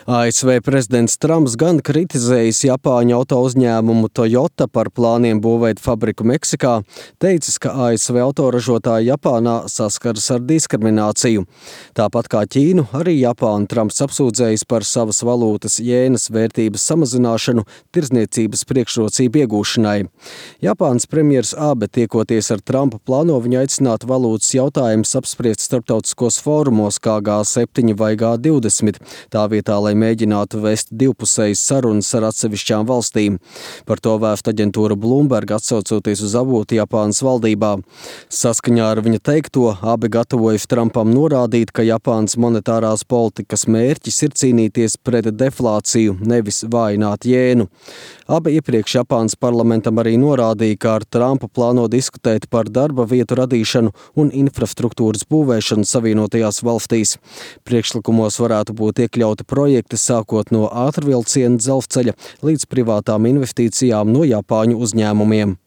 ASV prezidents Trumps gan kritizējis Japāņu auto uzņēmumu Toyota par plāniem būvēt fabriku Meksikā, teicis, ka ASV autoražotāji Japānā saskaras ar diskrimināciju. Tāpat kā Ķīnu, arī Japānu Trumps apsūdzējis par savas valūtas jēnas vērtības samazināšanu tirdzniecības priekšrocību iegūšanai. Japānas premjers Abe tiekoties ar Trumpu plāno viņu aicināt valūtas jautājumus apspriest starptautiskos fórumos kā G7 vai G20, tā vietā, lai mēģinātu vest divpusējas sarunas ar atsevišķām valstīm. Par to vēst aģentūra Bloomberg, atsaucoties uz avotu Japānas valdībā. Saskaņā ar viņa teikto, Abe gatavojas Trumpam norādīt, ka Japānas monetārās politikas mērķis ir cīnīties pret deflāciju, nevis vājināt jēnu. Abe iepriekš Japānas parlamentam arī norādīja, ka ar Trumpu plāno diskutēt par darba vietu radīšanu un infrastruktūras būvēšanu Savienotajās valstīs. Priekšlikumos varētu būt iekļauti projekti sākot no ātrvilciena dzelzceļa līdz privātām investīcijām no Japāņu uzņēmumiem.